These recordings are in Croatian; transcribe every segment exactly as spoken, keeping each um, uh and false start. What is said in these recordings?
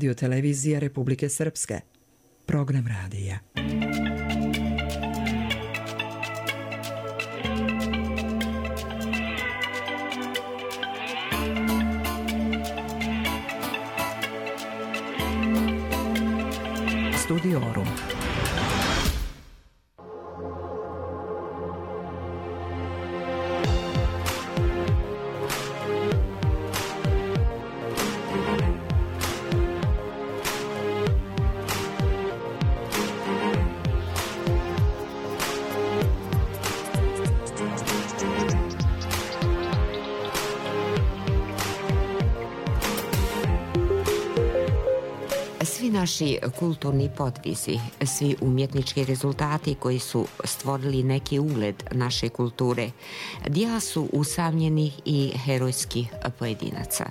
Radio Televizije Republike Srpske. Program radija. Studiorum. Naši kulturni podvisi, svi umjetnički rezultati koji su stvorili neki ugled naše kulture, djela su usamljenih i herojskih pojedinaca.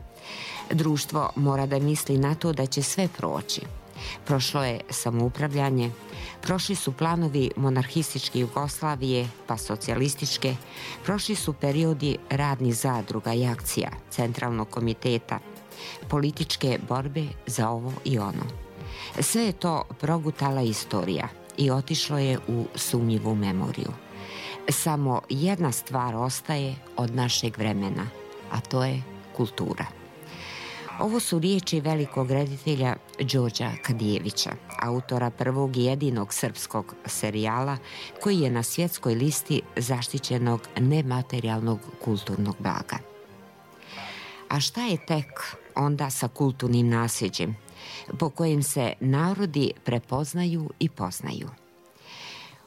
Društvo mora da misli na to da će sve proći. Prošlo je samoupravljanje, prošli su planovi monarhističke Jugoslavije pa socijalističke, prošli su periodi radnih zadruga i akcija, centralnog komiteta, političke borbe za ovo i ono. Sve je to progutala istorija i otišlo je u sumnjivu memoriju. Samo jedna stvar ostaje od našeg vremena, a to je kultura. Ovo su riječi velikog reditelja Đorđa Kadijevića, autora prvog i jedinog srpskog serijala koji je na svjetskoj listi zaštićenog nematerijalnog kulturnog blaga. A šta je tek onda sa kulturnim nasljeđem po kojim se narodi prepoznaju i poznaju?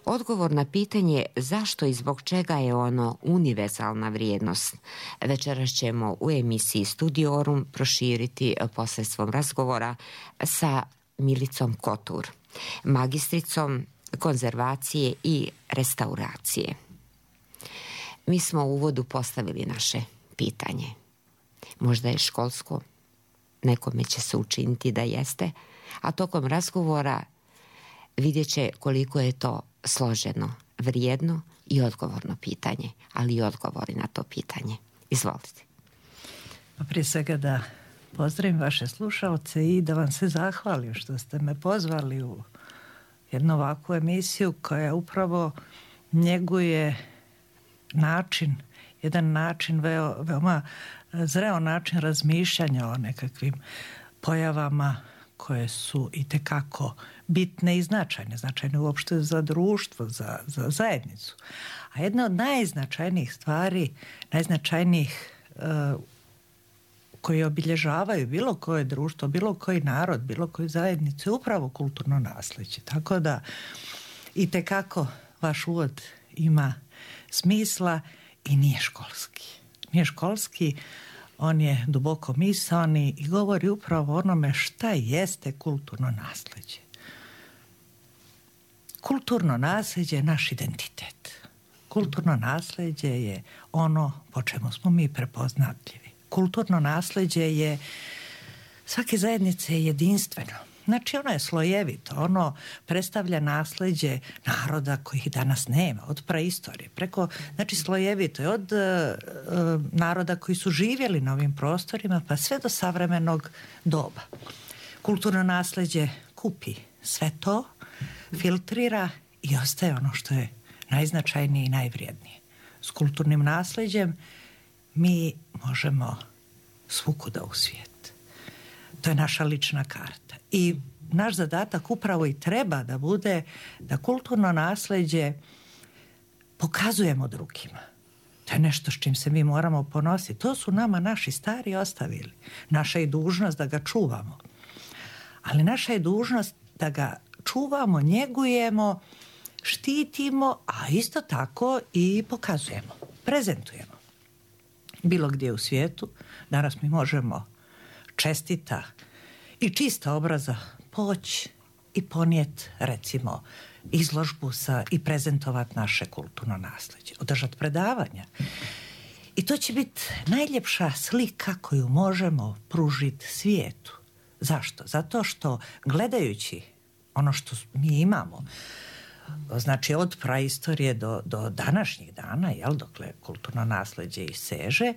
Odgovor na pitanje zašto i zbog čega je ono univerzalna vrijednost večeras ćemo u emisiji Studiorum proširiti posredstvom razgovora sa Milicom Kotur, magistricom konzervacije i restauracije. Mi smo u uvodu postavili naše pitanje. Možda je školsko, nekome će se učiniti da jeste, a tokom razgovora vidjet će koliko je to složeno, vrijedno i odgovorno pitanje, ali i odgovori na to pitanje. Izvolite. Pa prije svega da pozdravim vaše slušalce i da vam se zahvalim što ste me pozvali u jednu ovakvu emisiju koja upravo njeguje način, jedan način, veo, veoma zreo način razmišljanja o nekakvim pojavama koje su itekako bitne i značajne, značajne uopšte za društvo, za, za zajednicu. A jedna od najznačajnijih stvari, najznačajnijih uh, koji obilježavaju bilo koje društvo, bilo koji narod, bilo koju zajednicu je upravo kulturno nasljeđe. Tako da itekako vaš uvod ima smisla i nije školski. Nije školski, on je duboko misaoni i govori upravo o onome šta jeste kulturno nasljeđe. Kulturno nasljeđe je naš identitet. Kulturno nasljeđe je ono po čemu smo mi prepoznatljivi. Kulturno nasljeđe je svake zajednice je jedinstveno. Znači ono je slojevito, ono predstavlja nasljeđe naroda kojih danas nema, od praistorije, preko, znači slojevito je od uh, naroda koji su živjeli na ovim prostorima pa sve do savremenog doba. Kulturno nasljeđe kupi sve to, filtrira i ostaje ono što je najznačajnije i najvrijednije. S kulturnim nasljeđem mi možemo svukuda u svijet. To je naša lična karta. I naš zadatak upravo i treba da bude da kulturno nasljeđe pokazujemo drugima. To je nešto s čim se mi moramo ponositi. To su nama naši stari ostavili. Naša je dužnost da ga čuvamo. Ali naša je dužnost da ga čuvamo, njegujemo, štitimo, a isto tako i pokazujemo, prezentujemo. Bilo gdje u svijetu danas mi možemo čestita i čista obraza poći i ponijeti recimo izložbu sa i prezentovati naše kulturno nasljeđe, održati predavanja. I to će biti najljepša slika koju možemo pružiti svijetu. Zašto? Zato što gledajući ono što mi imamo znači od praistorije do, do današnjih dana, jel, dokle kulturno nasleđe i seže,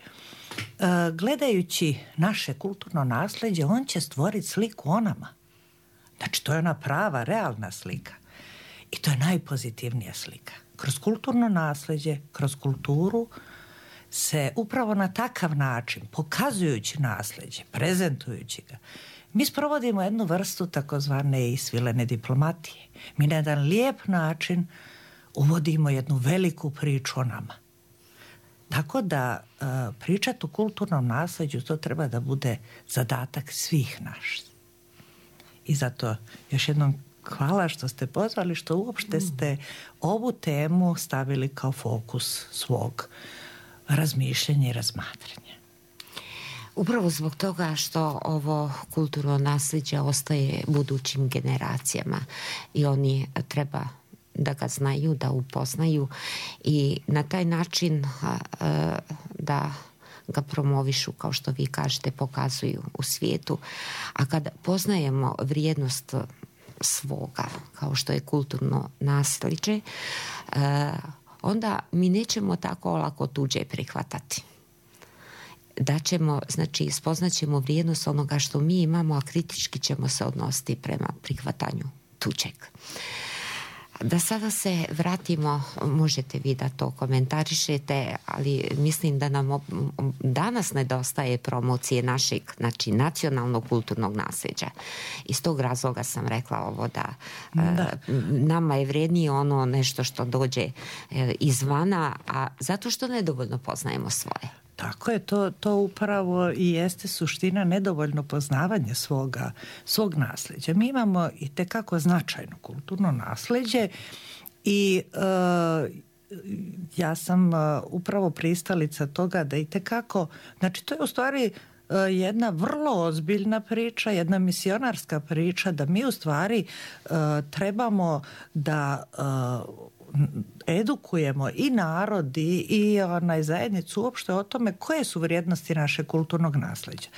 gledajući naše kulturno nasleđe, on će stvoriti sliku o nama. Znači, to je ona prava, realna slika. I to je najpozitivnija slika. Kroz kulturno nasleđe, kroz kulturu se upravo na takav način, pokazujući nasleđe, prezentujući ga, mi sprovodimo jednu vrstu takozvane isvilene diplomatije. Mi na jedan lijep način uvodimo jednu veliku priču o nama. Tako da uh, pričati o kulturnom nasleđu, to treba da bude zadatak svih naših. I zato još jednom hvala što ste pozvali, što uopšte ste ovu temu stavili kao fokus svog razmišljanja i razmatranja. Upravo zbog toga što ovo kulturno naslijeđe ostaje budućim generacijama i oni treba da ga znaju, da upoznaju i na taj način da ga promovišu, kao što vi kažete, pokazuju u svijetu. A kad poznajemo vrijednost svoga, kao što je kulturno naslijeđe, onda mi nećemo tako lako tuđe prihvatati. Da ćemo, znači, spoznaćemo vrijednost onoga što mi imamo, a kritički ćemo se odnositi prema prihvatanju tuđeg. Da sada se vratimo, možete vi da to komentarišete, ali mislim da nam danas nedostaje promocije našeg, znači, nacionalnog kulturnog nasljeđa. Iz tog razloga sam rekla ovo da, da. Nama je vrijednije ono nešto što dođe izvana, a zato što nedovoljno poznajemo svoje. Tako je, to, to upravo i jeste suština, nedovoljno poznavanje svoga, svog nasljeđa. Mi imamo i tekako značajno kulturno nasljeđe i uh, ja sam uh, upravo pristalica toga da i tekako, znači to je u stvari uh, jedna vrlo ozbiljna priča, jedna misionarska priča, da mi u stvari uh, trebamo da uh, edukujemo i narod i, i onaj zajednicu uopšte o tome koje su vrijednosti našeg kulturnog nasleđa.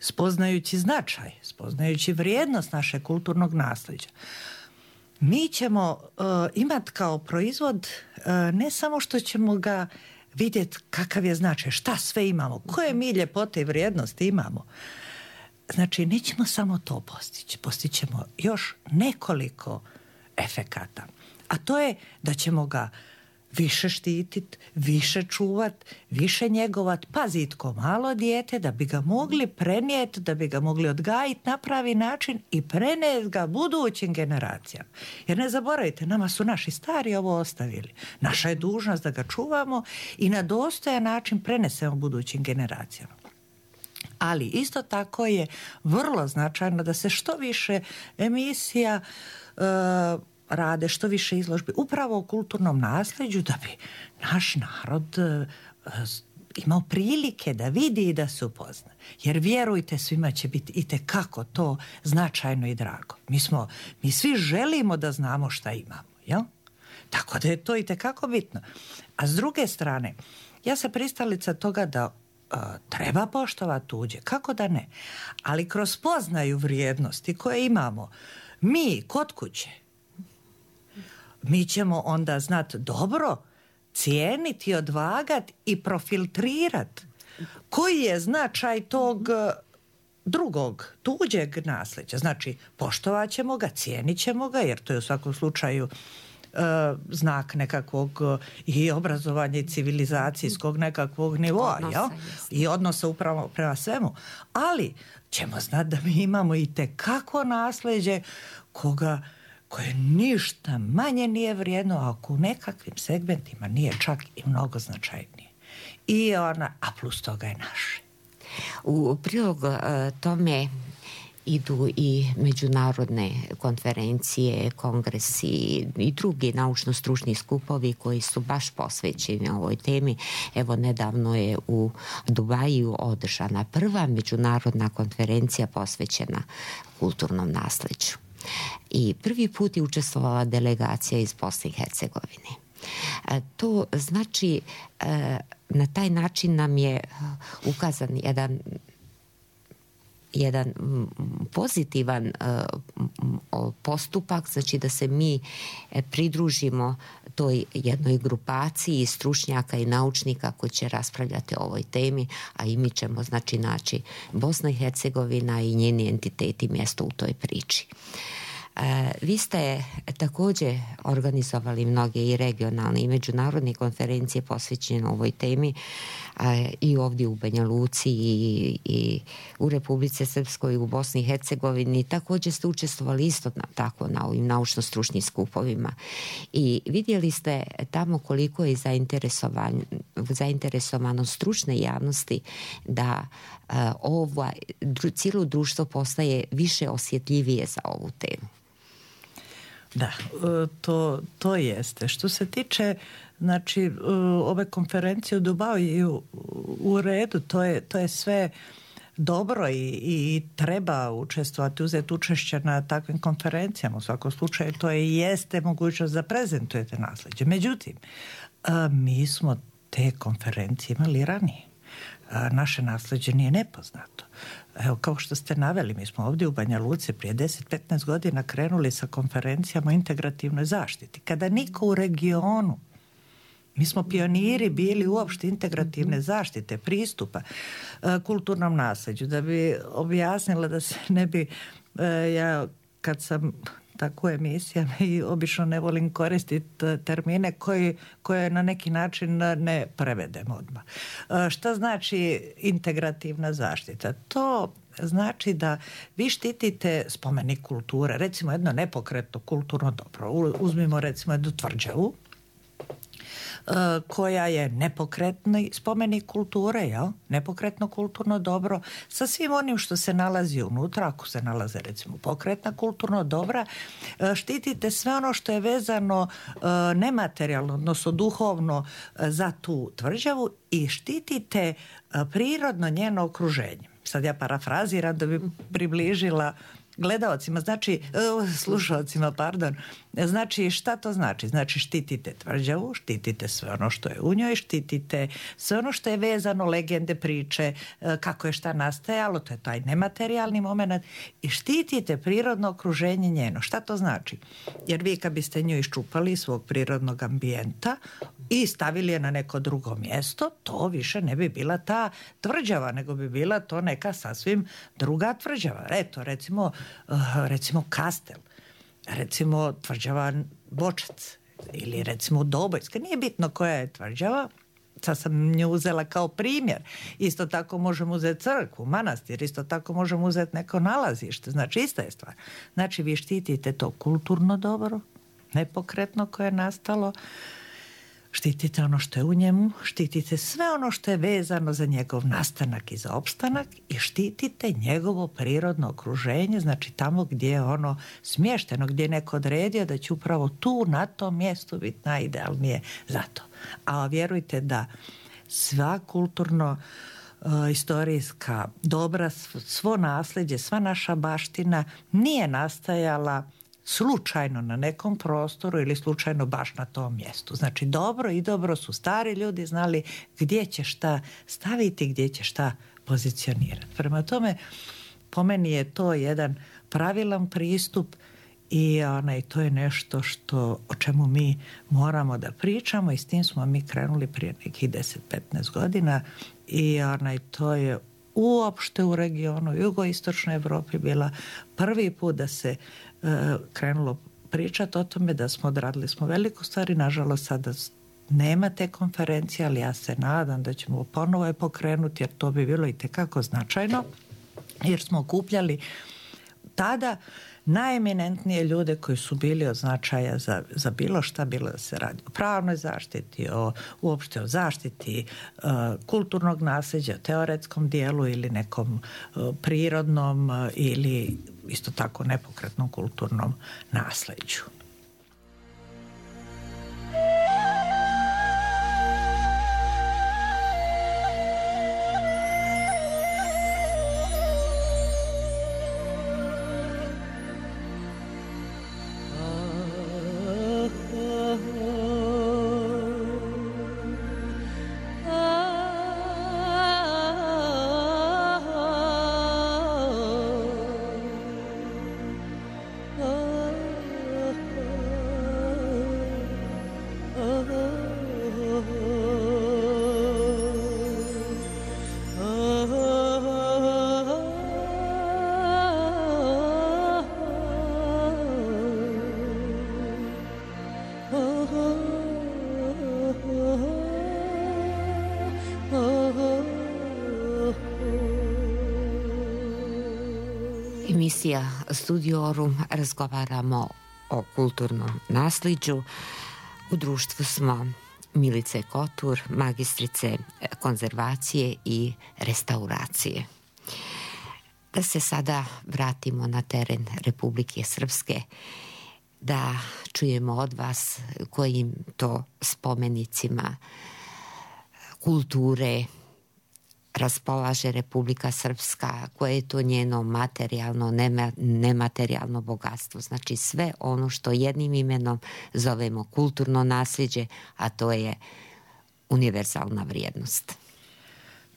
Spoznajući značaj, spoznajući vrijednost našeg kulturnog nasleđa, mi ćemo uh, imati kao proizvod uh, ne samo što ćemo ga vidjeti kakav je značaj, šta sve imamo, koje mi ljepote i vrijednosti imamo. Znači, nećemo samo to postići, postićemo još nekoliko efekata. A to je da ćemo ga više štititi, više čuvati, više njegovati, paziti ko malo dijete, da bi ga mogli prenijeti, da bi ga mogli odgajiti na pravi način i prenijeti ga budućim generacijama. Jer ne zaboravite, nama su naši stari ovo ostavili. Naša je dužnost da ga čuvamo i na dostojan način prenesemo budućim generacijama. Ali isto tako je vrlo značajno da se što više emisija uh, rade, što više izložbi upravo o kulturnom nasljeđu, da bi naš narod uh, imao prilike da vidi i da se upozna. Jer vjerujte, svima će biti itekako to značajno i drago. Mi smo, mi svi želimo da znamo šta imamo, jel? Tako da je to itekako bitno. A s druge strane, ja sam pristalica toga da uh, treba poštovati tuđe, kako da ne, ali kroz spoznaju vrijednosti koje imamo mi kod kuće, mi ćemo onda znati dobro cijeniti, odvagati i profiltrirati koji je značaj tog drugog, tuđeg nasljeđa. Znači, poštovat ćemo ga, cijenit ćemo ga, jer to je u svakom slučaju e, znak nekakvog i obrazovanja i civilizacijskog nekakvog nivoa, odnosa, jel? I odnosa upravo prema svemu. Ali ćemo znati da mi imamo i tekako nasljeđe koga koje ništa manje nije vrijedno, a u nekakvim segmentima nije čak i mnogo značajnije. I ona, a plus toga je naše. U prilog uh, tome idu i međunarodne konferencije, kongresi i drugi naučno-stručni skupovi koji su baš posvećeni ovoj temi. Evo, nedavno je u Dubaju održana prva međunarodna konferencija posvećena kulturnom nasljeđu. I prvi put je učestvovala delegacija iz Bosne i Hercegovine. To znači, na taj način nam je ukazan jedan jedan pozitivan postupak, znači da se mi pridružimo toj jednoj grupaciji stručnjaka i naučnika koji će raspravljati o ovoj temi, a i mi ćemo znači naći Bosna i Hercegovina i njeni entiteti mjesto u toj priči. Vi ste također organizovali mnoge i regionalne i međunarodne konferencije posvećene ovoj temi i ovdje u Banja Luci i, i u Republici Srpskoj i u Bosni i Hercegovini. Također ste učestvovali isto tako na ovim naučno-stručnim skupovima i vidjeli ste tamo koliko je zainteresovan, zainteresovanost stručne javnosti da ovo cijelo društvo postaje više osjetljivije za ovu temu. Da, to, to jeste. Što se tiče znači, ove konferencije u Dubaju i u, u redu, to je, to je sve dobro i, i treba učestvovati, uzeti učešće na takvim konferencijama. U svakom slučaju to je jeste mogućnost da prezentujete nasljeđe. Međutim, mi smo te konferencije imali ranije. Naše nasljeđe nije nepoznato. Evo, kao što ste naveli, mi smo ovdje u Banja Luci prije deset do petnaest godina krenuli sa konferencijama o integrativnoj zaštiti. Kada niko u regionu, mi smo pioniri bili uopšte integrativne zaštite, pristupa kulturnom nasljeđu. Da bi objasnila da se ne bi, ja kad sam tako emisijama i obično ne volim koristiti termine koji, koje na neki način ne prevedemo odmah. Šta znači integrativna zaštita? To znači da vi štitite spomenik kulture, recimo jedno nepokretno kulturno dobro. Uzmimo recimo jednu tvrđavu koja je nepokretni spomenik kulture, jel? Nepokretno kulturno dobro, sa svim onim što se nalazi unutra, ako se nalaze recimo pokretna kulturno dobra, štitite sve ono što je vezano nematerijalno, odnosno duhovno za tu tvrđavu i štitite prirodno njeno okruženje. Sad ja parafraziram da bi približila gledaocima, znači, slušalcima, pardon, znači šta to znači? Znači štitite tvrđavu, štitite sve ono što je u njoj, štitite sve ono što je vezano, legende, priče, kako je šta nastajalo, to je taj nematerijalni moment i štitite prirodno okruženje njeno. Šta to znači? Jer vi kad biste nju iščupali iz svog prirodnog ambijenta i stavili je na neko drugo mjesto, to više ne bi bila ta tvrđava, nego bi bila to neka sasvim druga tvrđava. Eto, recimo, recimo Kastel, recimo tvrđava Bočac ili recimo Dobojska, nije bitno koja je tvrđava, sad sam nju uzela kao primjer. Isto tako možemo uzeti crkvu, manastir, isto tako možemo uzeti neko nalazište, znači ista je stvar. Znači vi štitite to kulturno dobro, nepokretno koje je nastalo, štitite ono što je u njemu, štitite sve ono što je vezano za njegov nastanak i za opstanak i štitite njegovo prirodno okruženje, znači tamo gdje je ono smješteno, gdje je neko odredio da će upravo tu, na tom mjestu biti najidealnije za to. A vjerujte da sva kulturno istorijska dobra, svo nasljeđe, sva naša baština nije nastajala slučajno na nekom prostoru ili slučajno baš na tom mjestu. Znači dobro i dobro su stari ljudi znali gdje će šta staviti, gdje će šta pozicionirati. Prema tome, po meni je to jedan pravilan pristup i onaj, to je nešto što, o čemu mi moramo da pričamo i s tim smo mi krenuli prije nekih deset do petnaest godina i onaj, to je uopšte u regionu jugoistočnoj Evropi bila prvi put da se uh, krenulo pričati o tome, da smo odradili smo veliku stvar i nažalost sada nema te konferencije, ali ja se nadam da ćemo ponovo je pokrenuti jer to bi bilo i tekako značajno jer smo okupljali tada najeminentnije ljude koji su bili od značaja za, za bilo šta, bilo da se radi o pravnoj zaštiti, o, uopšte o zaštiti uh, kulturnog nasljeđa, o teoretskom dijelu ili nekom uh, prirodnom uh, ili isto tako nepokretnom kulturnom nasljeđu. Oh Emisija Studiorum, razgovaramo o kulturnom naslijeđu. U društvu smo Milice Kotur, magistrice konzervacije i restauracije. Da se sada vratimo na teren Republike Srpske, da čujemo od vas kojim to spomenicima kulture raspolaže Republika Srpska, koje je to njeno materijalno, nematerijalno bogatstvo. Znači sve ono što jednim imenom zovemo kulturno nasljeđe, a to je univerzalna vrijednost.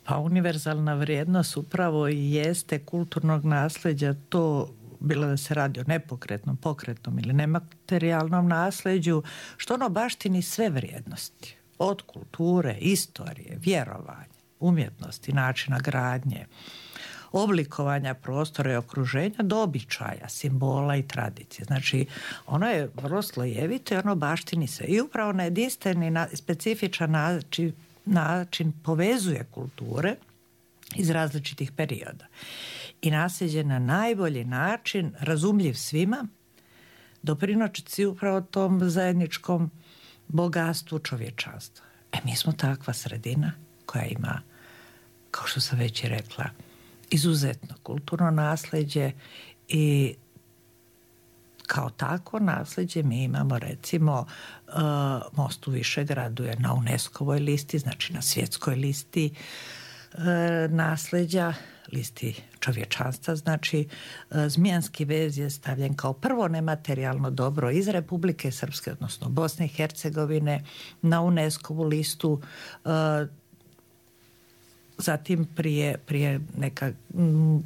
Pa univerzalna vrijednost upravo i jeste kulturnog nasljeđa, to bilo da se radi o nepokretnom, pokretnom ili nematerijalnom nasljeđu, što ono baštini sve vrijednosti. Od kulture, istorije, vjerovanja, umjetnosti, načina gradnje, oblikovanja prostora i okruženja do običaja, simbola i tradicije. Znači, ono je vrlo slojevito i ono baštini sve. I upravo na jedinstveni, na specifičan način, način povezuje kulture iz različitih perioda. I nasljeđe na najbolji način, razumljiv svima, doprinosi upravo tom zajedničkom bogatstvu čovječanstva. E, mi smo takva sredina koja ima, kao što sam već i rekla, izuzetno kulturno nasljeđe i kao takvo nasljeđe mi imamo recimo uh, most u Višegradu je na UNESCO-voj listi, znači na svjetskoj listi uh, nasljeđa, listi čovječanstva, znači uh, Zmijanski vez je stavljen kao prvo nematerijalno dobro iz Republike Srpske, odnosno Bosne i Hercegovine, na UNESCO-vu listu. Uh, zatim prije, prije neka m,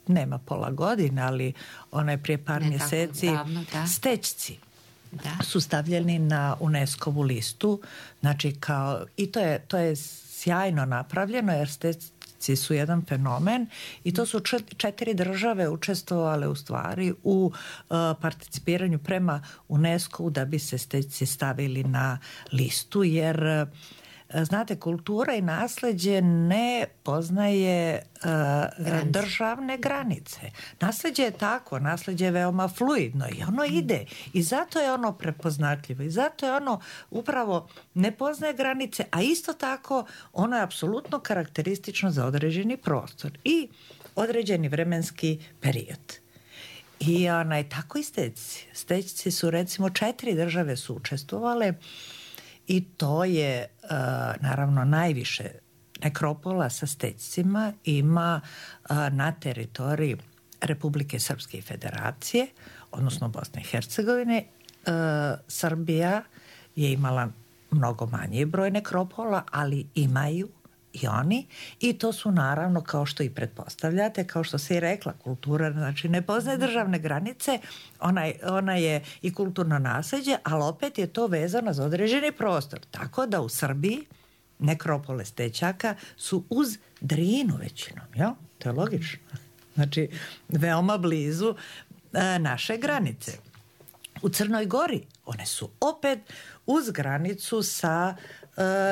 nema pola godine, ali onaj prije par ne mjeseci davno, da. Stećci da. Su stavljeni na UNESCO-vu listu, znači kao, i to je, to je sjajno napravljeno jer Stećci su jedan fenomen i to su četiri države učestvovale u stvari u uh, participiranju prema UNESCO-u da bi se Stećci stavili na listu, jer uh, znate, kultura i nasljeđe ne poznaje uh, državne granice. Nasljeđe je tako, nasljeđe je veoma fluidno i ono ide. I zato je ono prepoznatljivo. I zato je ono upravo ne poznaje granice, a isto tako ono je apsolutno karakteristično za određeni prostor i određeni vremenski period. I onaj, tako i Stećci. Stećci su recimo četiri države su učestvovale. I to je, uh, naravno, najviše nekropola sa Stećcima ima uh, na teritoriji Republike Srpske i Federacije, odnosno Bosne i Hercegovine. Uh, Srbija je imala mnogo manji broj nekropola, ali imaju i oni. I to su naravno, kao što i pretpostavljate, kao što se i rekla, kultura, znači ne poznaje državne granice, ona, ona je i kulturno nasljeđe, ali opet je to vezano za određeni prostor. Tako da u Srbiji nekropole Stećaka su uz Drinu većinom, jel? To je logično. Znači, veoma blizu e, naše granice. U Crnoj Gori one su opet uz granicu sa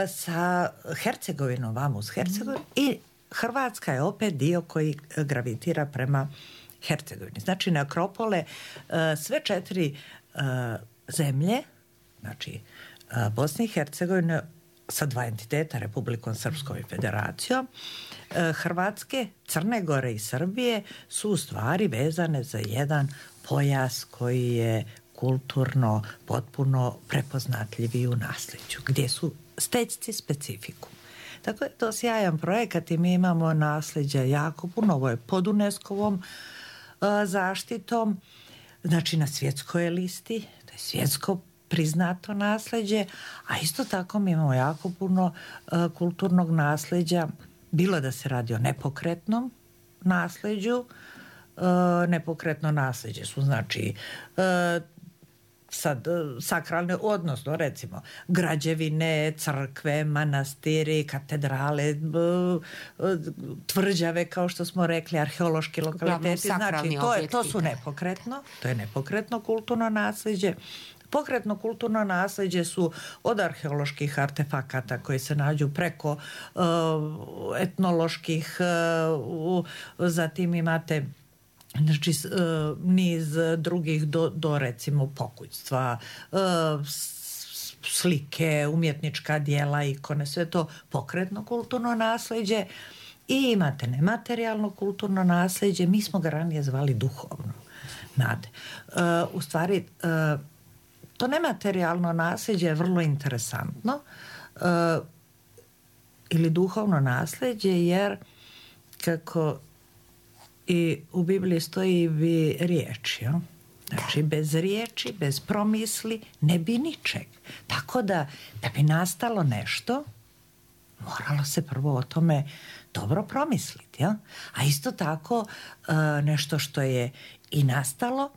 sa Hercegovinom, vamo uz Hercegovinu, mm. i Hrvatska je opet dio koji gravitira prema Hercegovini. Znači, nekropole sve četiri zemlje, znači Bosne i Hercegovine sa dva entiteta, Republikom Srpskom i Federacijom, Hrvatske, Crne Gore i Srbije su u stvari vezane za jedan pojas koji je kulturno potpuno prepoznatljivi u nasljeđu, gdje su Stećci specifikum. Tako je to sjajan projekat i mi imamo nasljeđa jako puno. Ovo je pod UNESCO-vom uh, zaštitom, znači na svjetskoj listi, to je svjetsko priznato nasljeđe, a isto tako mi imamo jako puno uh, kulturnog nasljeđa, bilo da se radi o nepokretnom nasljeđu. Uh, nepokretno nasljeđe su znači uh, sad sakralne, odnosno recimo građevine, crkve, manastiri, katedrale, tvrđave, kao što smo rekli, arheološki lokaliteti, znači to, je, to su nepokretno, to je nepokretno kulturno nasljeđe. Pokretno kulturno nasljeđe su od arheoloških artefakata koji se nađu preko uh, etnoloških, uh, zatim imate znači niz drugih do, do recimo pokućstva, slike, umjetnička dijela, ikone, sve to pokretno kulturno naslijeđe. I imate nematerijalno kulturno naslijeđe, mi smo ga ranije zvali duhovno. Znate, u stvari to nematerijalno naslijeđe je vrlo interesantno ili duhovno naslijeđe, jer kako i u Bibliji stoji bi riječi, jo? Znači bez riječi, bez promisli ne bi ničeg. Tako da da bi nastalo nešto, moralo se prvo o tome dobro promisliti. Ja? A isto tako nešto što je i nastalo,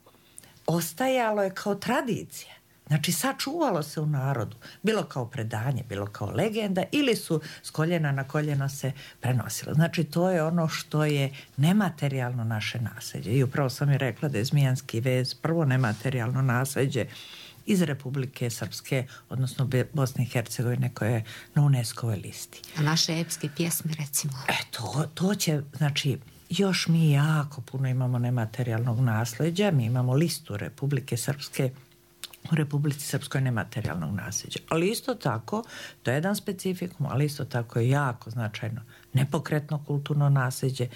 ostajalo je kao tradicija. Znači sačuvalo se u narodu, bilo kao predanje, bilo kao legenda, ili su s koljena na koljeno se prenosilo. Znači to je ono što je nematerijalno naše nasljeđe. I upravo sam i rekla da je Zmijanski vez prvo nematerijalno nasljeđe iz Republike Srpske, odnosno Bosne i Hercegovine, koja je na UNESCO-voj listi. A naše epske pjesme, recimo? E, to, to će, znači, još mi jako puno imamo nematerijalnog nasljeđa. Mi imamo listu Republike Srpske, u Republici Srpskoj nematerijalnog nasljeđa. Ali isto tako, to je jedan specifikum, ali isto tako je jako značajno nepokretno kulturno nasljeđe.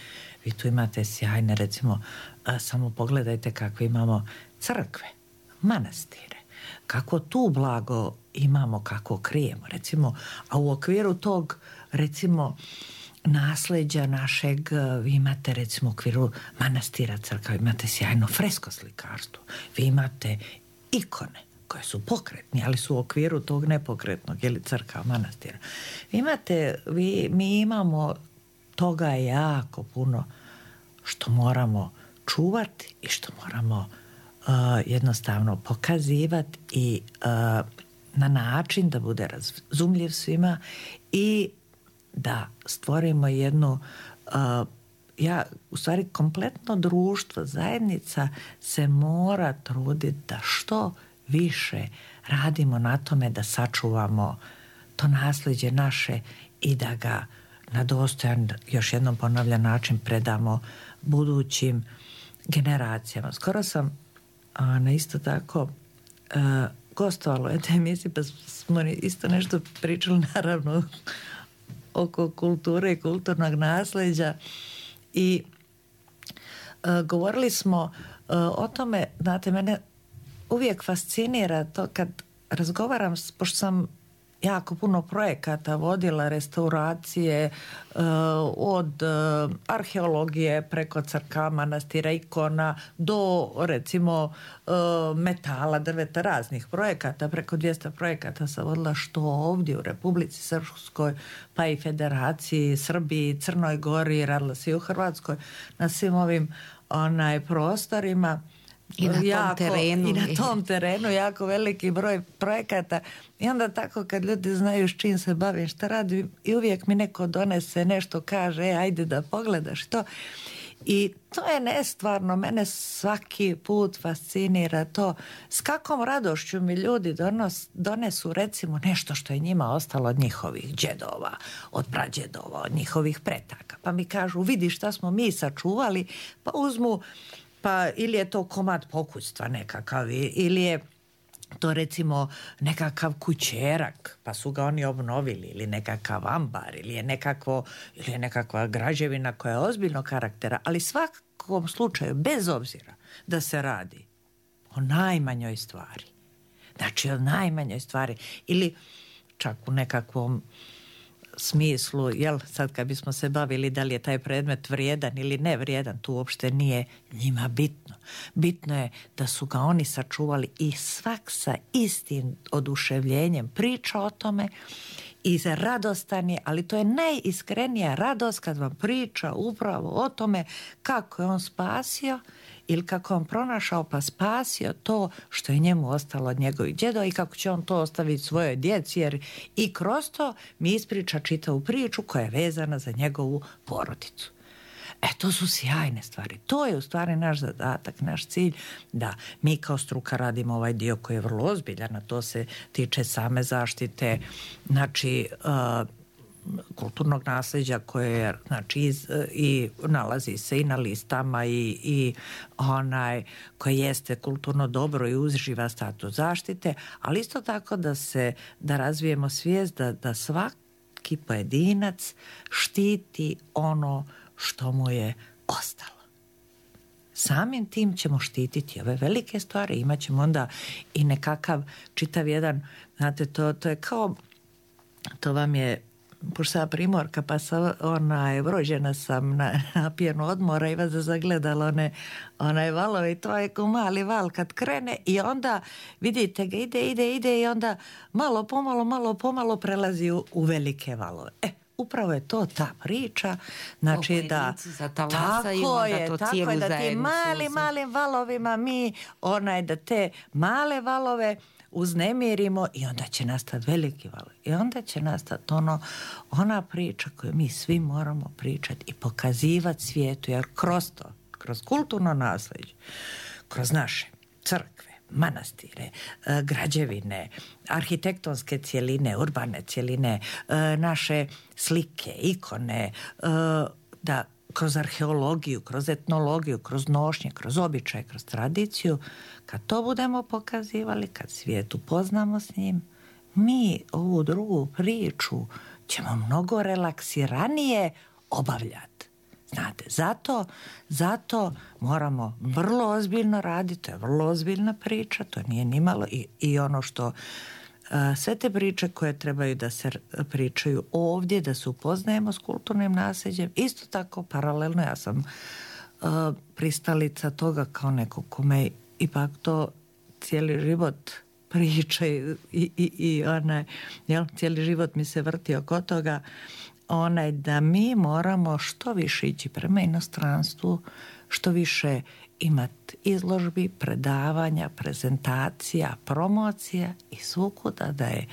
Vi tu imate sjajne, recimo, a, samo pogledajte kakve imamo crkve, manastire, kako tu blago imamo, kako krijemo, recimo, a u okviru tog, recimo, nasljeđa našeg, vi imate recimo u okviru manastira, crkva, imate sjajno fresko slikarstvo, vi imate ikone koje su pokretni, ali su u okviru tog nepokretnog, ili crkva, manastira. Vi imate, vi, mi imamo toga jako puno što moramo čuvati i što moramo uh, jednostavno pokazivati i uh, na način da bude razumljiv svima i da stvorimo jednu uh, ja, u stvari kompletno društvo, zajednica se mora truditi da što više radimo na tome da sačuvamo to nasljeđe naše i da ga na dostojan, još jednom ponavljam, način predamo budućim generacijama. Skoro sam a, na isto tako a, gostovala u jednoj emisiji, pa smo isto nešto pričali, naravno, oko kulture i kulturnog nasljeđa. I uh, govorili smo uh, o tome, znate, mene uvijek fascinira to kad razgovaram, pošto sam jako puno projekata vodila, restauracije, uh, od uh, arheologije preko crkava, manastira, ikona, do recimo uh, metala, drveta, raznih projekata, preko dvjesto projekata sam vodila što ovdje u Republici Srpskoj, pa i Federaciji, Srbiji, Crnoj Gori, radila se i u Hrvatskoj, na svim ovim onaj prostorima. I na tom jako, terenu. I na tom terenu jako veliki broj projekata. I onda tako kad ljudi znaju s čim se bavim, šta radim, i uvijek mi neko donese nešto, kaže, e, ajde da pogledaš to. I to je nestvarno, mene svaki put fascinira to s kakvom radošću mi ljudi donos, donesu recimo nešto što je njima ostalo od njihovih džedova, od prađedova, od njihovih pretaka. Pa mi kažu, vidi šta smo mi sačuvali, pa uzmu, pa ili je to komad pokućstva nekakav, ili je to recimo nekakav kućerak, pa su ga oni obnovili, ili nekakav ambar, ili je nekakvo, ili je nekakva građevina koja je ozbiljnog karaktera, ali svakom slučaju, bez obzira da se radi o najmanjoj stvari, znači o najmanjoj stvari, ili čak u nekakvom smislu, jel, sad kad bismo se bavili da li je taj predmet vrijedan ili ne vrijedan, tu uopšte nije njima bitno. Bitno je da su ga oni sačuvali i svak sa istim oduševljenjem priča o tome i radostan je, ali to je najiskrenija radost kad vam priča upravo o tome kako je on spasio ili kako on pronašao pa spasio to što je njemu ostalo od njegovih djedova i kako će on to ostaviti svojoj djeci, jer i kroz to mi ispriča čitavu priču koja je vezana za njegovu porodicu. E, to su sjajne stvari. To je u stvari naš zadatak, naš cilj, da mi kao struka radimo ovaj dio koji je vrlo ozbiljan, a to se tiče same zaštite, znači, uh, kulturnog nasleđa koje je, znači, iz, i nalazi se i na listama i, i onaj koje jeste kulturno dobro i uživa status zaštite, ali isto tako da se, da razvijemo svijest da, da svaki pojedinac štiti ono što mu je ostalo. Samim tim ćemo štititi ove velike stvari, imat ćemo onda i nekakav čitav jedan, znate, to, to je kao, to vam je, pošto sam primorka, pa sam, onaj, rođena sam na, na pijenu odmora i vas zagledala one, onaj valove i to je ko mali val kad krene i onda vidite ga ide, ide, ide i onda malo pomalo, malo pomalo prelazi u, u velike valove. E, upravo je to ta priča, znači da tako je, to tako je, da ti mali, malim valovima mi, onaj, da te male valove uznemirimo i onda će nastati veliki valovi. I onda će nastati ono, ona priča koju mi svi moramo pričati i pokazivati svijetu, jer kroz to, kroz kulturno naslijeđe, kroz naše crkve, manastire, građevine, arhitektonske cjeline, urbane cjeline, naše slike, ikone, da kroz arheologiju, kroz etnologiju, kroz nošnje, kroz običaj, kroz tradiciju, kad to budemo pokazivali, kad svijet upoznamo s njim, mi ovu drugu priču ćemo mnogo relaksiranije obavljati. Znate, zato, zato moramo vrlo ozbiljno raditi, to je vrlo ozbiljna priča, to nije nimalo i, i ono što sve te priče koje trebaju da se pričaju ovdje, da se upoznajemo s kulturnim nasljeđem, isto tako paralelno, ja sam uh, pristalica toga kao neko kome ipak to cijeli život priča i, i, i onaj, jel, cijeli život mi se vrti oko toga, onaj, da mi moramo što više ići prema inostranstvu, što više imati izložbi, predavanja, prezentacija, promocija i svukuda da, je,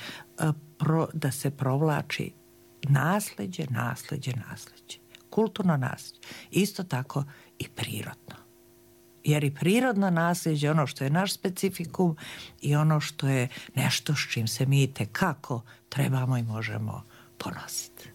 da se provlači nasljeđe, nasljeđe, nasljeđe. Kulturno nasljeđe. Isto tako i prirodno. Jer i prirodno nasljeđe ono što je naš specifikum i ono što je nešto s čim se mi itekako trebamo i možemo ponositi.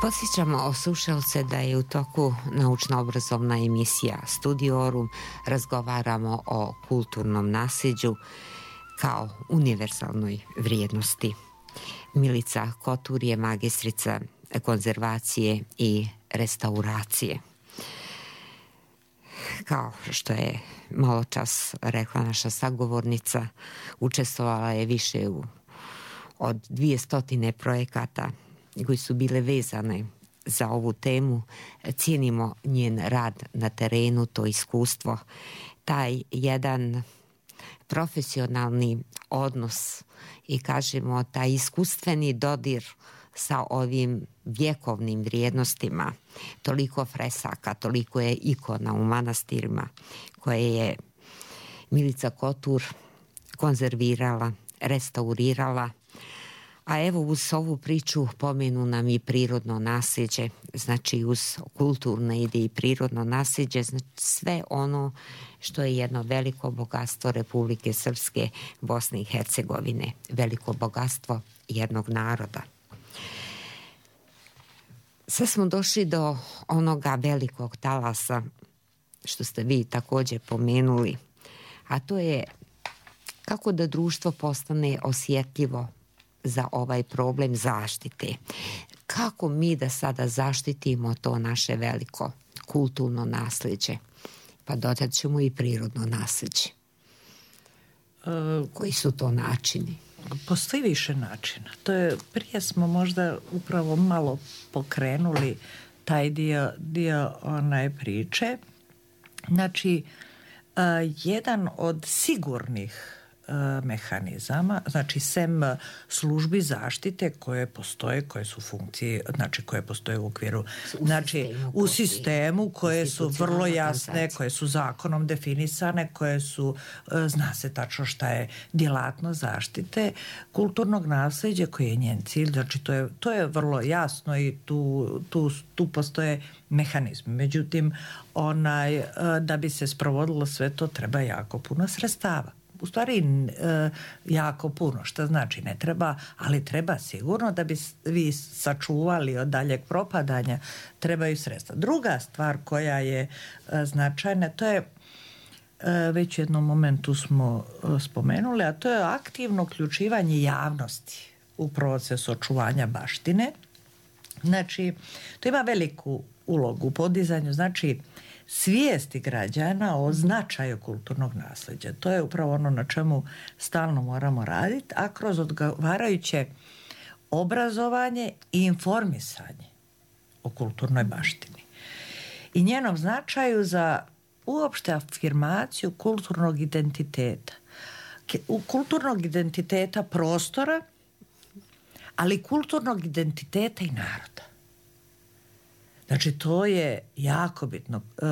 Podsjećamo slušalce da je u toku naučno-obrazovna emisija Studiorum. Razgovaramo o kulturnom nasljeđu kao univerzalnoj vrijednosti. Milica Kotur je magistrica konzervacije i restauracije. Kao što je malo čas rekla naša sagovornica, učestvovala je više u, od dvije stotine projekata koji su bile vezane za ovu temu. Cijenimo njen rad na terenu, to iskustvo, taj jedan profesionalni odnos i kažemo taj iskustveni dodir sa ovim vjekovnim vrijednostima. Toliko fresaka, toliko je ikona u manastirima koje je Milica Kotur konzervirala, restaurirala. A evo uz ovu priču pomenu nam i prirodno nasljeđe, znači uz kulturno ide i prirodno nasljeđe, znači sve ono što je jedno veliko bogatstvo Republike Srpske, Bosne i Hercegovine, veliko bogatstvo jednog naroda. Sad smo došli do onoga velikog talasa, što ste vi također pomenuli, a to je kako da društvo postane osjetljivo za ovaj problem zaštite. Kako mi da sada zaštitimo to naše veliko kulturno nasljeđe? Pa dodat ćemo i prirodno nasljeđe. Koji su to načini? Postoji više načina. To je, prije smo možda upravo malo pokrenuli taj dio, dio onaj priče. Znači, jedan od sigurnih mehanizama, znači sem službi zaštite koje postoje, koje su funkcije, znači koje postoje u okviru, u znači sistemu, u sistemu koje su vrlo jasne, organizacije. koje su zakonom definisane, koje su, zna se tačno šta je djelatnost zaštite kulturnog nasleđa koji je njen cilj, znači to je, to je vrlo jasno i tu, tu, tu postoje mehanizmi. Međutim, onaj, da bi se sprovodilo sve to treba jako puno sredstava. U stvari e, jako puno, što znači ne treba, ali treba sigurno da bi vi sačuvali od daljeg propadanja, trebaju sredstva. Druga stvar koja je e, značajna, to je e, već u jednom momentu smo e, spomenuli, a to je aktivno uključivanje javnosti u proces očuvanja baštine. Znači, to ima veliku ulogu u podizanju, znači svijesti građana o značaju kulturnog nasljeđa. To je upravo ono na čemu stalno moramo raditi, a kroz odgovarajuće obrazovanje i informisanje o kulturnoj baštini i njenom značaju za uopšte afirmaciju kulturnog identiteta. Kulturnog identiteta prostora, ali kulturnog identiteta i naroda. Znači, to je jako bitno. E,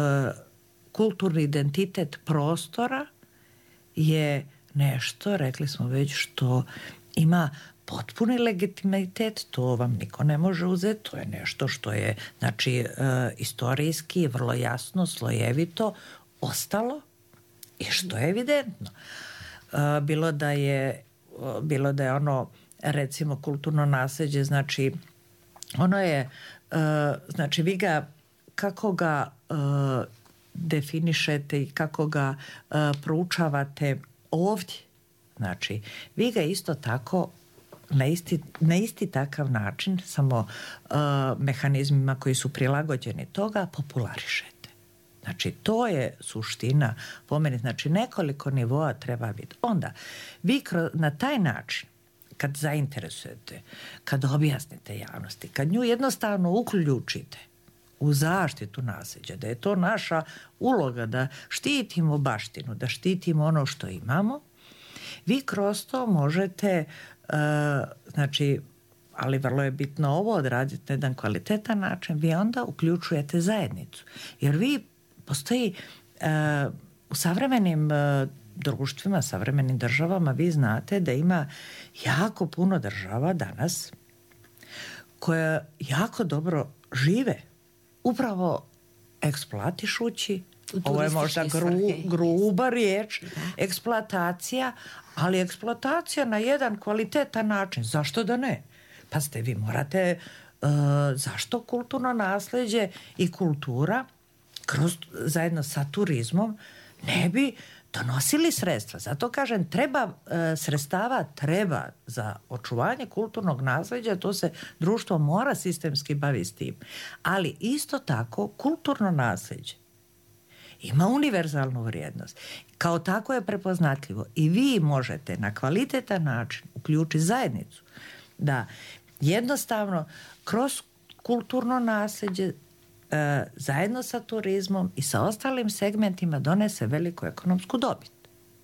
kulturni identitet prostora je nešto, rekli smo već, što ima potpuni legitimitet, to vam niko ne može uzeti, to je nešto što je, znači, e, istorijski, vrlo jasno, slojevito ostalo i što je evidentno. E, bilo da je, bilo da je ono, recimo, kulturno nasljeđe, znači, ono je, uh, znači vi ga, kako ga uh, definišete i kako ga uh, proučavate ovdje, znači vi ga isto tako na isti, na isti takav način, samo uh, mehanizmima koji su prilagođeni toga, popularišete. Znači to je suština po meni, znači nekoliko nivoa treba biti. Onda vi kroz, na taj način kad zainteresujete, kad objasnite javnosti, kad nju jednostavno uključite u zaštitu nasljeđa, da je to naša uloga, da štitimo baštinu, da štitimo ono što imamo, vi kroz to možete, uh, znači, ali vrlo je bitno ovo odraditi na jedan kvalitetan način, vi onda uključujete zajednicu. Jer vi postoji uh, u savremenim uh, društvima, savremenim državama, vi znate da ima jako puno država danas koje jako dobro žive upravo eksploatišući, ovo je možda gru, gruba riječ, da. Eksploatacija, ali eksploatacija na jedan kvalitetan način. Zašto da ne? Pazite, vi morate, uh, zašto kulturno nasljeđe i kultura kroz, zajedno sa turizmom ne bi donosili sredstva. Zato kažem, treba e, sredstava treba za očuvanje kulturnog nasljeđa, to se društvo mora sistemski baviti s tim. Ali isto tako kulturno nasljeđe ima univerzalnu vrijednost. Kao tako je prepoznatljivo i vi možete na kvalitetan način uključiti zajednicu da jednostavno kroz kulturno nasljeđe zajedno sa turizmom i sa ostalim segmentima donese veliku ekonomsku dobit.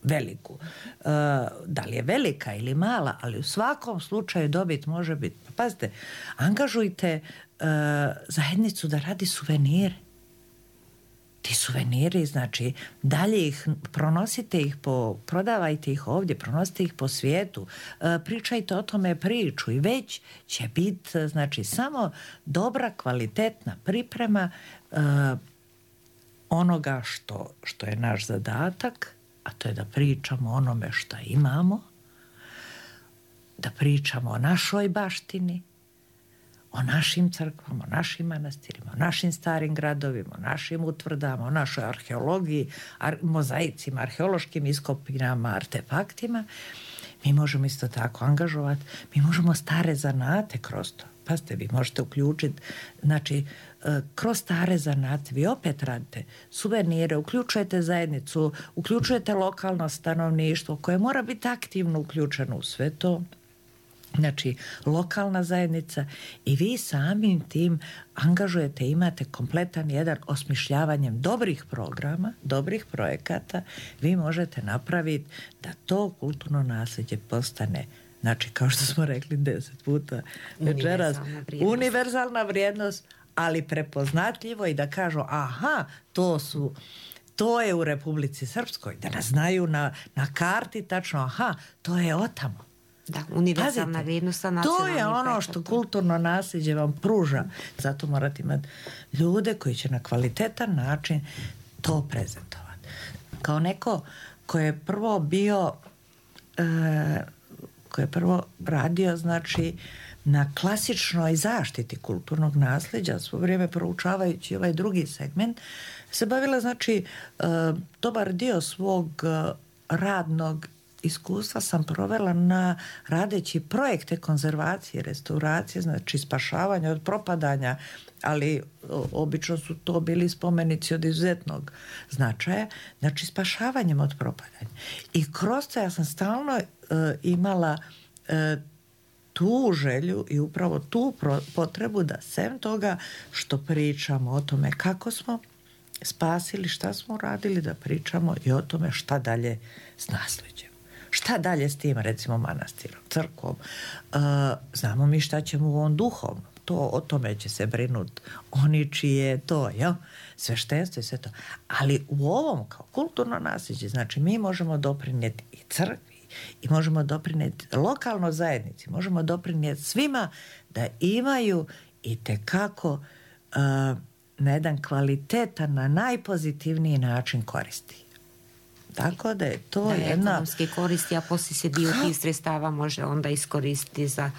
Veliku. Da li je velika ili mala, ali u svakom slučaju dobit može biti. Pazite, angažujte zajednicu da radi suvenire. Ti suveniri, znači, dalje ih, pronosite ih po, prodavajte ih ovdje, pronosite ih po svijetu, pričajte o tome priču i već će biti, znači, samo dobra, kvalitetna priprema uh, onoga što, što je naš zadatak, a to je da pričamo o onome što imamo, da pričamo o našoj baštini, o našim crkvama, o našim manastirima, o našim starim gradovima, o našim utvrdama, o našoj arheologiji, ar- mozaicima, arheološkim iskopinama, artefaktima. Mi možemo isto tako angažovati, mi možemo stare zanate kroz to. Pazite, vi možete uključiti, znači, kroz stare zanate, vi opet radite suvenire, uključujete zajednicu, uključujete lokalno stanovništvo koje mora biti aktivno uključeno u sve to. znači lokalna zajednica i vi samim tim angažujete, imate kompletan jedan osmišljavanjem dobrih programa, dobrih projekata, vi možete napraviti da to kulturno nasljeđe postane, znači kao što smo rekli deset puta večeras, univerzalna vrijednost. univerzalna vrijednost, ali prepoznatljivo i da kažu aha, to su to je u Republici Srpskoj, da nas znaju na, na karti tačno, aha, to je otamo. Da, univerzalna Pazite, vrijednost. to je ono što kulturno nasljeđe vam pruža. Zato morate imati ljude koji će na kvalitetan način to prezentovati. Kao neko ko je prvo bio e, ko je prvo radio znači na klasičnoj zaštiti kulturnog nasljeđa, svo vrijeme proučavajući ovaj drugi segment, se bavila znači e, dobar dio svog e, radnog iskustva sam provela na radeći projekte konzervacije, restauracije, znači spašavanja od propadanja, ali obično su to bili spomenici od izuzetnog značaja, znači spašavanjem od propadanja. I kroz to ja sam stalno uh, imala uh, tu želju i upravo tu pro- potrebu da sem toga što pričamo o tome kako smo spasili, šta smo radili, da pričamo i o tome šta dalje s naslijeđem. Šta dalje s tim, recimo, manastirom, crkvom? Uh, znamo mi šta ćemo u ovom duhovnom. To, o tome će se brinuti oni čije je to, jel? Sveštenstvo i sve to. Ali u ovom kao kulturno nasljeđe, znači mi možemo doprinijeti i crkvi i možemo doprinijeti lokalnoj zajednici, možemo doprinijeti svima da imaju itekako uh, na jedan kvalitetan, na najpozitivniji način koristi. Tako da je to da, jedna... ekonomski koristi, a poslije se dio tih sredstava može onda iskoristiti za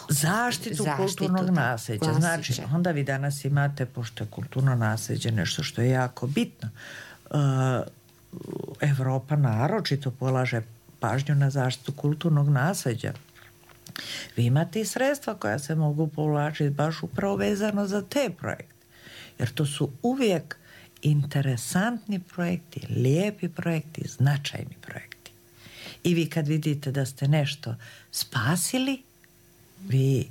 zaštitu, zaštitu kulturnog nasljeđa. Znači, onda vi danas imate, pošto je kulturno nasljeđe nešto što je jako bitno, uh, Evropa naročito polaže pažnju na zaštitu kulturnog nasljeđa. Vi imate i sredstva koja se mogu povlačiti baš upravo vezano za te projekte. Jer to su uvijek interesantni projekti, lijepi projekti, značajni projekti. I vi kad vidite da ste nešto spasili, vi,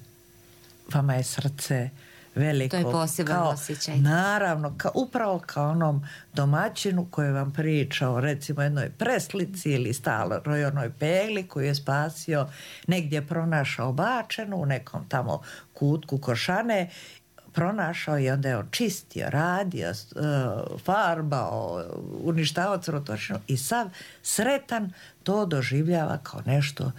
vama je srce veliko. To je poseban kao, osjećaj. Naravno, kao, upravo kao onom domaćinu koji vam priča o recimo jednoj preslici ili staloj onoj pegli koju je spasio, negdje pronašao bačenu u nekom tamo kutku košane, pronašao i onda je on čistio, radio, farbao, uništavao crvotočinu i sav sretan to doživljava kao nešto,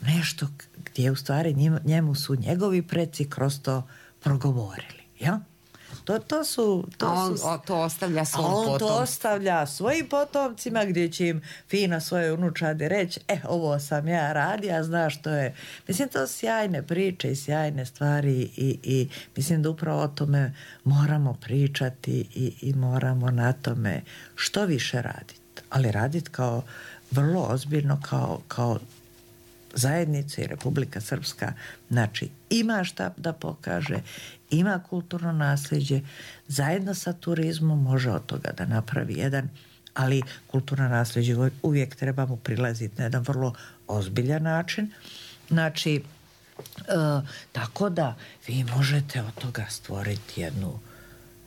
nešto gdje u stvari njemu su njegovi preci kroz to progovorili. Ja? To, to su... To, on, su, to ostavlja svom on potomcima. to ostavlja svojim potomcima gdje će im fino svoje unučade reći e, ovo sam ja radio, znaš što je. Mislim, to su sjajne priče i sjajne stvari i, i mislim da upravo o tome moramo pričati i, i moramo na tome što više raditi. Ali raditi kao vrlo ozbiljno kao, kao zajednica i Republika Srpska, znači ima šta da pokaže, ima kulturno nasljeđe, zajedno sa turizmom može od toga da napravi jedan, ali kulturno nasljeđe uvijek treba mu prilaziti na jedan vrlo ozbiljan način. Znači, e, tako da vi možete od toga stvoriti jednu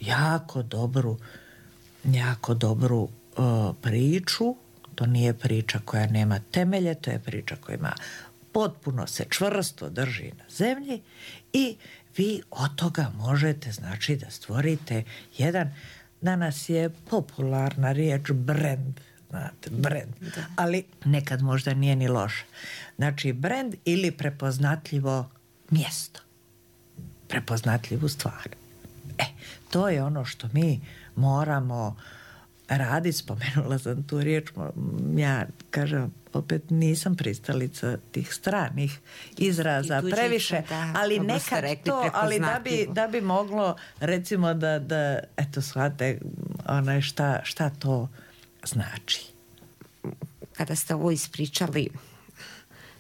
jako dobru, jako dobru e, priču. To nije priča koja nema temelje, to je priča koja ima potpuno se čvrsto drži na zemlji i vi od toga možete znači da stvorite jedan, danas je popularna riječ brand, znate, brand, ali nekad možda nije ni loše. Znači brand ili prepoznatljivo mjesto, prepoznatljivu stvar. E, to je ono što mi moramo radi, spomenula sam tu riječ, ja kažem, opet nisam pristalica tih stranih izraza previše, da, ali nekad to, ali da bi, da bi moglo recimo da, da eto shvate onaj šta, šta to znači. Kada ste ovo ispričali,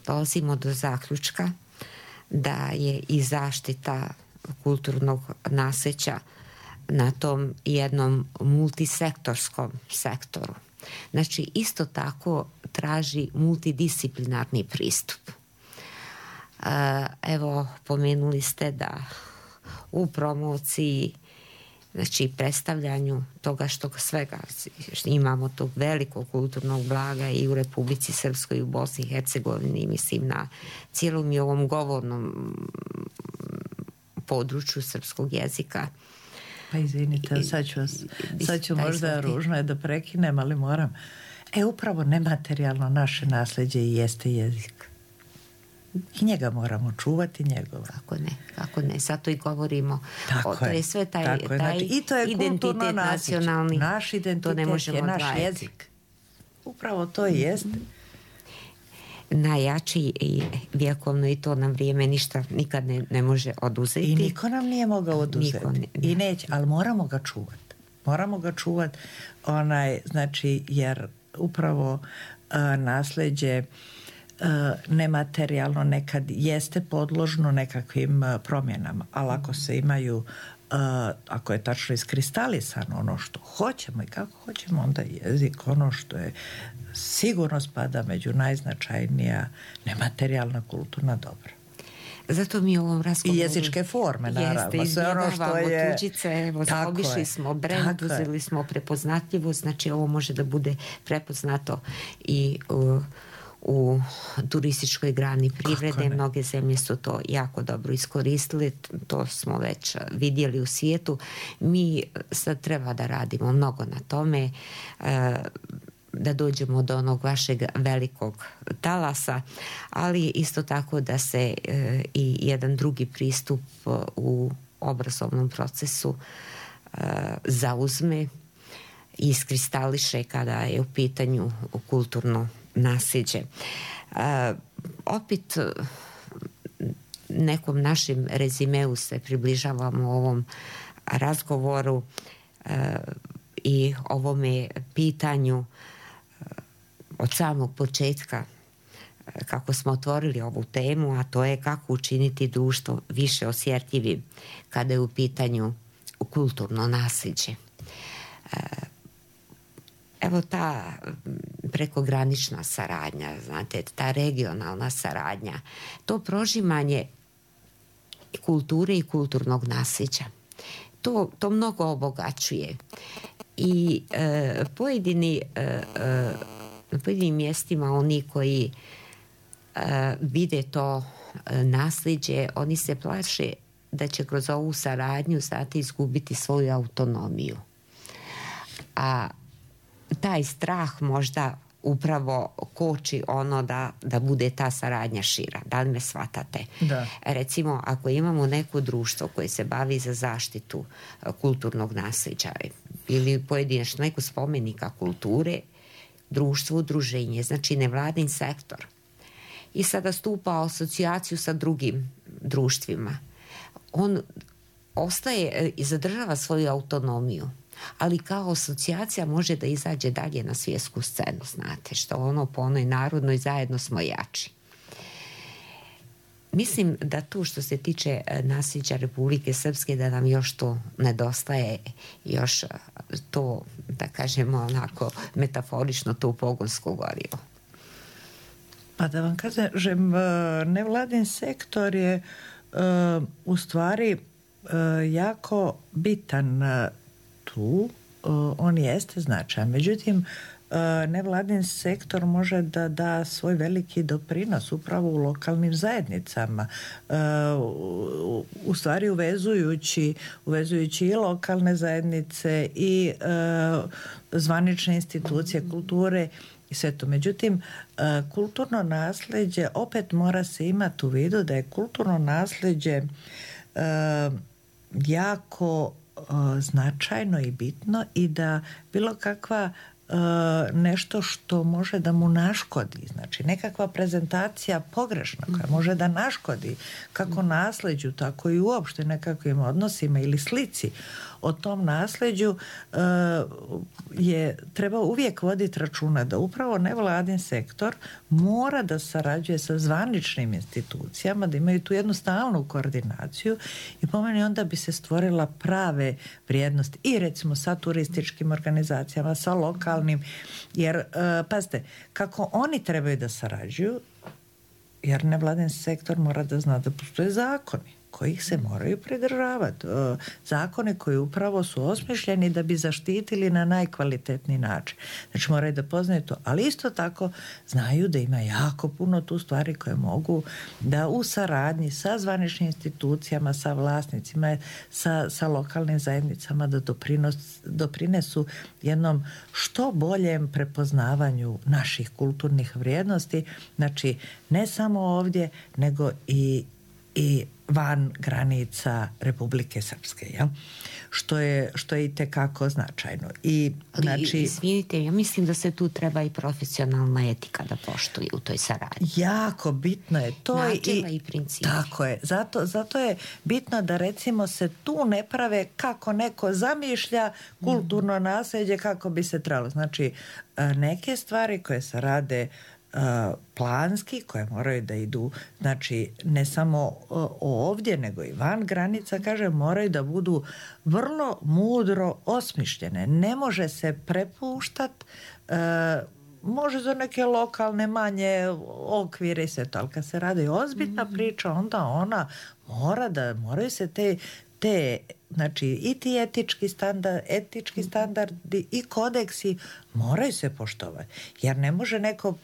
dolazimo do zaključka da je i zaštita kulturnog nasljeđa na tom jednom multisektorskom sektoru. Znači, isto tako traži multidisciplinarni pristup. Evo, pomenuli ste da u promociji, znači predstavljanju toga što svega imamo tog velikog kulturnog blaga i u Republici Srpskoj i u Bosni i Hercegovini, mislim na cijelom i ovom govornom području srpskog jezika. Pa izvinite, sad ću, vas, sad ću možda ružno je da prekinem, ali moram. E, upravo nematerijalno naše nasljeđe i jeste jezik. I njega moramo čuvati, njegova. Kako ne, kako ne, zato i govorimo. Tako o, to je, je sve taj, tako taj znači, i to je identitet nacionalni. Naš identitet ne možemo je naš odvajati. jezik. Upravo to i jeste. Najjači i vjekovno i to nam vrijeme ništa nikad ne, ne može oduzeti. I niko nam nije mogao oduzeti. Ne, I neće, ali moramo ga čuvati. Moramo ga čuvati, onaj, znači, jer upravo uh, nasljeđe uh, nematerijalno nekad jeste podložno nekakvim uh, promjenama, ali ako se imaju uh, ako je tačno iskristalisano ono što hoćemo i kako hoćemo, onda jezik ono što je sigurno spada među najznačajnija nematerijalna kulturna dobra. Zato mi u ovom razgovoru... I jezičke forme, naravno. Jeste, sve ono što je... tuđice, evo, obišli smo brend, uzeli smo prepoznatljivost, znači ovo može da bude prepoznato i u, u turističkoj grani privrede. Mnoge zemlje su to jako dobro iskoristili, to smo već vidjeli u svijetu. Mi sad treba da radimo mnogo na tome, da dođemo do onog vašeg velikog talasa, ali isto tako da se e, i jedan drugi pristup u obrazovnom procesu e, zauzme i iskristališe kada je u pitanju kulturno nasljeđe. E, opet nekom našem rezimeu se približavamo ovom razgovoru e, i ovome pitanju od samog početka kako smo otvorili ovu temu, a to je kako učiniti društvo više osjetljivim kada je u pitanju kulturno nasljeđe. Evo ta prekogranična saradnja, znate, ta regionalna saradnja, to prožimanje kulture i kulturnog nasljeđa, to, to mnogo obogaćuje. I e, pojedini e, e, na pojedinim mjestima oni koji e, vide to e, nasljeđe, oni se plaše da će kroz ovu saradnju znate izgubiti svoju autonomiju. A taj strah možda upravo koči ono da, da bude ta saradnja šira. Da li me shvatate? Da. Recimo, ako imamo neko društvo koje se bavi za zaštitu kulturnog nasljeđa ili pojedinačno neko spomenika kulture, društvo, udruženje, znači nevladin sektor, i sada stupa u asocijaciju sa drugim društvima, on ostaje i zadržava svoju autonomiju, ali kao asocijacija može da izađe dalje na svjetsku scenu, znate, što ono po onoj narodnoj zajedno smo jači. Mislim da tu što se tiče nasljeđa Republike Srpske da nam još to nedostaje, još to, da kažemo onako metaforično, to pogonsko gorivo. Pa da vam kažem, nevladin sektor je u stvari jako bitan tu, on jeste značajan. Međutim, nevladin sektor može da da svoj veliki doprinos upravo u lokalnim zajednicama, u stvari uvezujući, uvezujući i lokalne zajednice i zvanične institucije kulture i sve to. Međutim, kulturno nasljeđe opet mora se imati u vidu da je kulturno nasljeđe jako značajno i bitno i da bilo kakva nešto što može da mu naškodi, znači nekakva prezentacija pogrešna koja može da naškodi kako nasljeđu, tako i uopšte nekakvim odnosima ili slici o tom nasljeđu, je treba uvijek voditi računa da upravo nevladin sektor mora da sarađuje sa zvaničnim institucijama, da imaju tu jednu stalnu koordinaciju i po meni onda bi se stvorila prave vrijednosti i recimo sa turističkim organizacijama, sa lokalnim, jer pazite, kako oni trebaju da sarađuju jer nevladin sektor mora da zna da postoje zakoni kojih se moraju pridržavati. Zakone koji upravo su osmišljeni da bi zaštitili na najkvalitetniji način. Znači moraju da poznaju to, ali isto tako znaju da ima jako puno tu stvari koje mogu da u saradnji sa zvaničnim institucijama, sa vlasnicima, sa, sa lokalnim zajednicama da doprinos, doprinesu jednom što boljem prepoznavanju naših kulturnih vrijednosti. Znači ne samo ovdje, nego i i van granica Republike Srpske, jel? Što je, što je i tekako značajno. I, znači, izvinite, ja mislim da se tu treba i profesionalna etika da poštuje u toj saradnji. Jako bitno je to. Načela i, i principi. Tako je. Zato, zato je bitno da recimo se tu ne prave kako neko zamišlja kulturno naslijeđe kako bi se trebalo. Znači, neke stvari koje se rade planski, koje moraju da idu, znači ne samo ovdje nego i van granica, kaže, moraju da budu vrlo mudro osmišljene. Ne može se prepuštat, e, može za neke lokalne manje okvire i sve to, ali kad se radi ozbiljna priča, onda ona mora da, moraju se te te, znači i ti etički standard, etički standardi i kodeksi moraju se poštovati. Jer ne može neko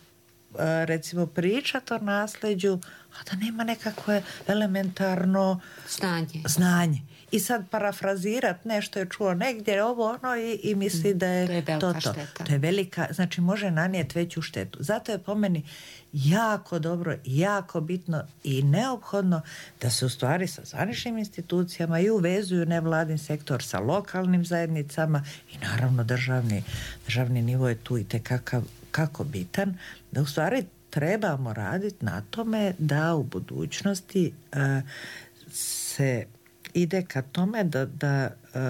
recimo pričati o nasleđu, a da nema nekakve elementarno znanje. znanje. I sad parafrazirat nešto je čuo negdje, ovo ono i, i misli da je to je to. To. Šteta. To je velika, znači može nanijeti veću štetu. Zato je po meni jako dobro, jako bitno i neophodno da se u stvari sa zvaničnim institucijama i uvezuju nevladin sektor sa lokalnim zajednicama i naravno državni, državni nivo je tu i tekakav kako bitan, da u stvari trebamo raditi na tome da u budućnosti uh, se ide ka tome da, da uh,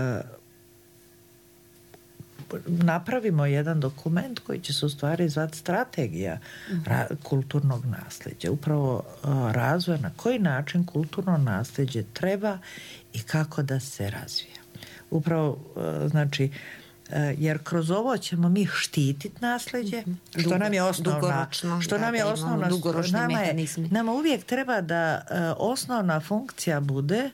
napravimo jedan dokument koji će se u stvari zvati strategija ra- kulturnog nasljeđa. Upravo uh, razvoja na koji način kulturno nasljeđe treba i kako da se razvija. Upravo, uh, znači, jer kroz ovo ćemo mi štititi nasljeđe, što Dugo, nam je osnovna, što nam je osnovna, nama, je, nama uvijek treba da uh, osnovna funkcija bude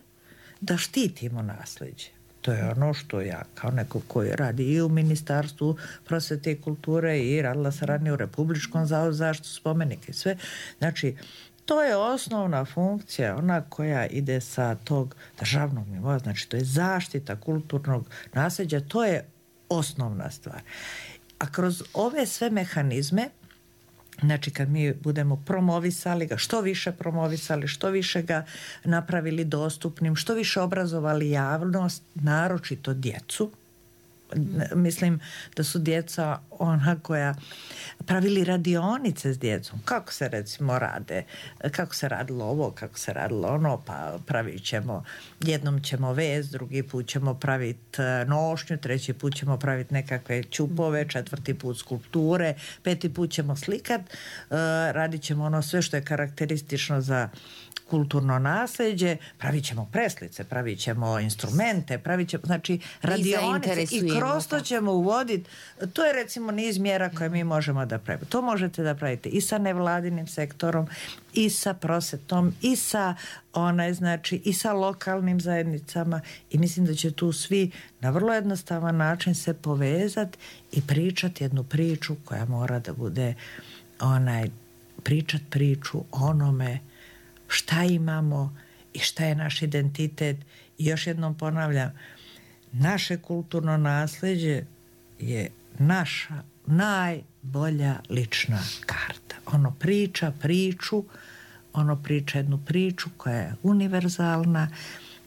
da štitimo nasljeđe. To je ono što ja kao neko koji radi i u Ministarstvu prosvete i kulture i radila sam ranije u Republičkom zavodu za zaštitu spomenika i sve. Znači, to je osnovna funkcija, ona koja ide sa tog državnog nivoa, znači to je zaštita kulturnog nasljeđa, to je osnovna stvar. A kroz ove sve mehanizme, znači kad mi budemo promovisali ga, što više promovisali, što više ga napravili dostupnim, što više obrazovali javnost, naročito djecu, mislim da su djeca ona koja pravili radionice s djecom, kako se recimo rade, kako se radilo ovo, kako se radilo ono, pa pravit ćemo, jednom ćemo vez, drugi put ćemo praviti nošnju, treći put ćemo praviti nekakve ćupove, četvrti put skulpture, peti put ćemo slikat, radit ćemo ono sve što je karakteristično za kulturno nasljeđe, pravit ćemo preslice, pravit ćemo instrumente, pravit ćemo, znači radionice i kroz to ćemo uvoditi, to je recimo niz mjera koje mi možemo da pravimo. To možete da pravite i sa nevladinim sektorom, i sa prosvetom, i sa onaj, znači, i sa lokalnim zajednicama i mislim da će tu svi na vrlo jednostavan način se povezati i pričati jednu priču koja mora da bude onaj, pričat priču onome šta imamo i šta je naš identitet. I još jednom ponavljam, naše kulturno nasljeđe je naša najbolja lična karta. Ono priča priču, ono priča jednu priču koja je univerzalna,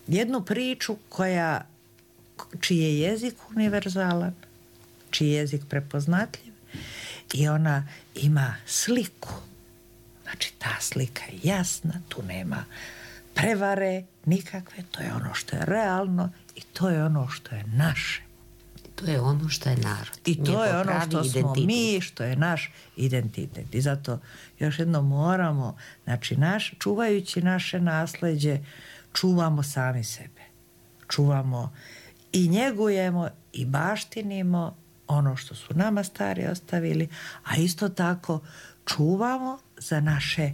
jednu priču koja, čiji je jezik univerzalan, čiji je jezik prepoznatljiv i ona ima sliku. Znači, ta slika je jasna, tu nema prevare nikakve, to je ono što je realno i to je ono što je naše. To je ono što je narod. I to je ono što identitet. Smo mi, što je naš identitet. I zato još jedno moramo, znači, naš, čuvajući naše nasljeđe, čuvamo sami sebe. Čuvamo i njegujemo i baštinimo ono što su nama stari ostavili, a isto tako čuvamo za naše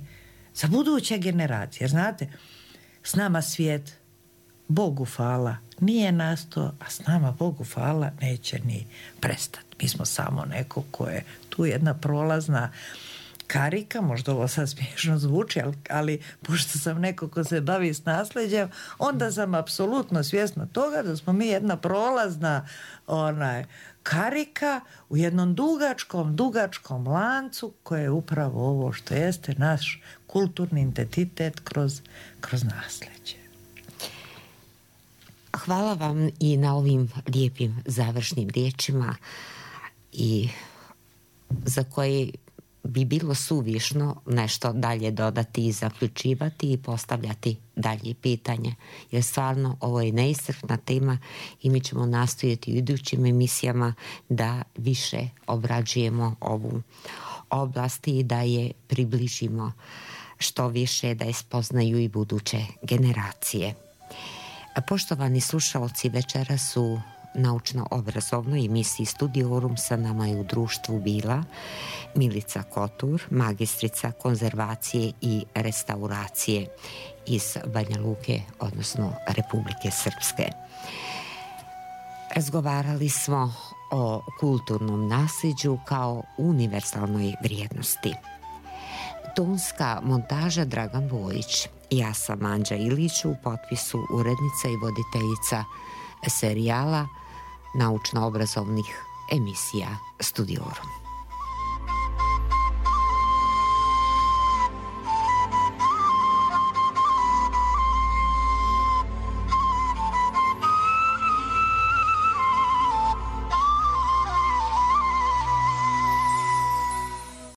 za buduće generacije. Znate, s nama svijet, Bogu hvala, nije nastao, a s nama, Bogu hvala, neće ni prestati. Mi smo samo neko ko je tu jedna prolazna karika, možda ovo sad smiješno zvuči, ali, ali pošto sam neko ko se bavi s nasljeđem, onda sam apsolutno svjesna toga da smo mi jedna prolazna onaj, karika u jednom dugačkom, dugačkom lancu koje je upravo ovo što jeste naš kulturni identitet kroz, kroz nasljeđe. Hvala vam i na ovim lijepim završnim riječima i za koje bi bilo suvišno nešto dalje dodati i zaključivati i postavljati dalje pitanje. Jer stvarno ovo je neiscrpna tema i mi ćemo nastojati u idućim emisijama da više obrađujemo ovu oblast i da je približimo što više, da je spoznaju i buduće generacije. Poštovani slušaoci, večera su naučno-obrazovnoj emisiji Studiorum. Sa nama je u društvu bila Milica Kotur, magistrica konzervacije i restauracije iz Banja Luke, odnosno Republike Srpske. Razgovarali smo o kulturnom nasljeđu kao univerzalnoj vrijednosti. Tonska montaža Dragan Bojić. Ja sam Anđa Ilić, u potpisu urednica i voditeljica serijala naučno-obrazovnih emisija Studiorum.